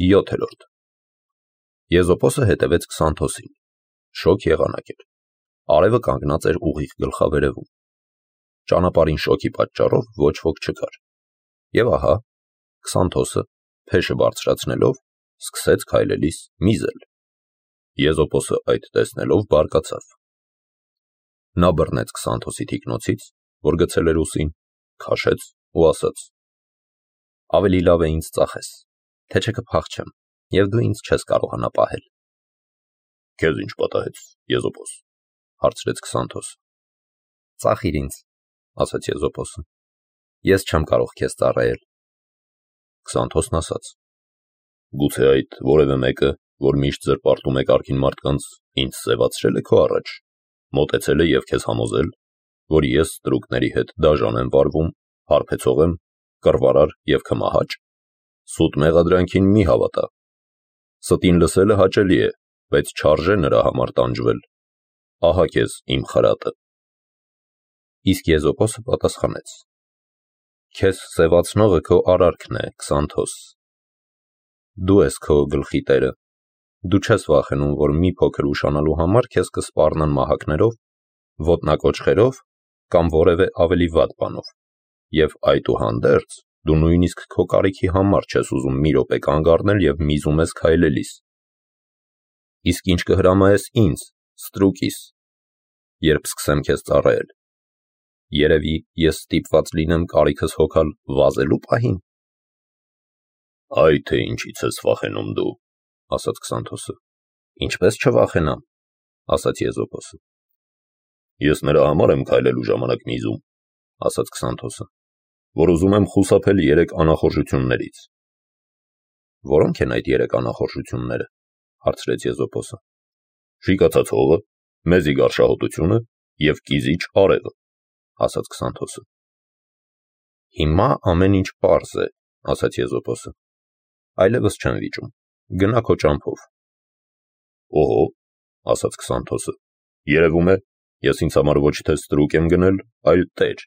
7. Եզոպոսը հետևեց Քսանթոսին, շոգ եղանակ էր, արևը կանգնած էր ուղիղ գլխավերևում, ճանապարհին շոգի պատճառով ոչ ոք չկար, և ահա, Քսանթոսը, փեշը բարձրացնելով, սկսեց քայլելիս միզել, Եզոպոսը այդ տեսնելով բարկացավ, նա բռնեց Քսանթոսի թիկնոցից, որ գցել էր ուսին, քաշեց ու ասաց. ավելի լավ է ինձ ծախես, թե չէ կփախչեմ, և դու ինձ չես կարողանա պահել։ Քեզ ինչ պատահեց, Եզոպոս, հարցրեց Քսանթոսը։ Ծախիր ինձ, ասաց Եզոպոսը, ես չեմ կարող քեզ ծառայել։ Քսանթոսն ասաց. գուցե այդ որևէ մեկը, որ միշտ զրպարտում է կարգին մարդկանց, ինձ սևացրել է քո առաջ, մոտեցել է և քեզ համոզել, որ ես ստրուկների հետ դաժան եմ վարվում, հարբեցող եմ, կռվարար և քմահաճ, սուտ մեղադրանքին մի հավատա, ստին լսելը հաճելի է, բայց չարժե նրա համար տանջվել, ահա քեզ իմ խրատը։ Իսկ Եզոպոսը պատասխանեց. քեզ սևացնողը քո արարքն է, Քսանթոս, դու ես քո գլխի տերը, դու չես վախենում, որ մի փոքր ուշանալու համար քեզ կսպառնան մահակներով, ոտնակոչղերով կամ որևէ ավելի վատ բանով, և այդուհանդերձ դու նույնիսկ քո կարիքի համար չես ուզում մի րոպե կանգ առնել և միզում ես քայլելիս։ Իսկ ինչ կհրամայես ինձ, ստրուկիս, երբ սկսեմ քեզ ծառայել, երևի ես ստիպված լինեմ կարիքս հոգալ վազելու պահին։ Այ թե ինչից ես վախենում դու, ասաց Քսանթոսը։ Ինչպես չվախենամ, ասաց Եզոպոսը։ Ես նրա համար եմ քայլելու ժամանակ միզում, ասաց Քսանթոսը, որ ուզում եմ խուսափել 3 անախորժություններից։ Որո՞նք են այդ 3 անախորժությունները, հարցրեց Եզոպոսը։ Շիկացած հողը, մեզի գարշահոտությունը և կիզիչ արևը, ասաց Քսանթոսը։ Հիմա ամեն ինչ պարզ է, ասաց Եզոպոսը, այլևս չեմ վիճում, գնա քո ճամփով։ Օհո, ասաց Քսանթոսը, երևում է, ես ինձ համար ոչ թե ստրուկ եմ գնել, այլ տեր։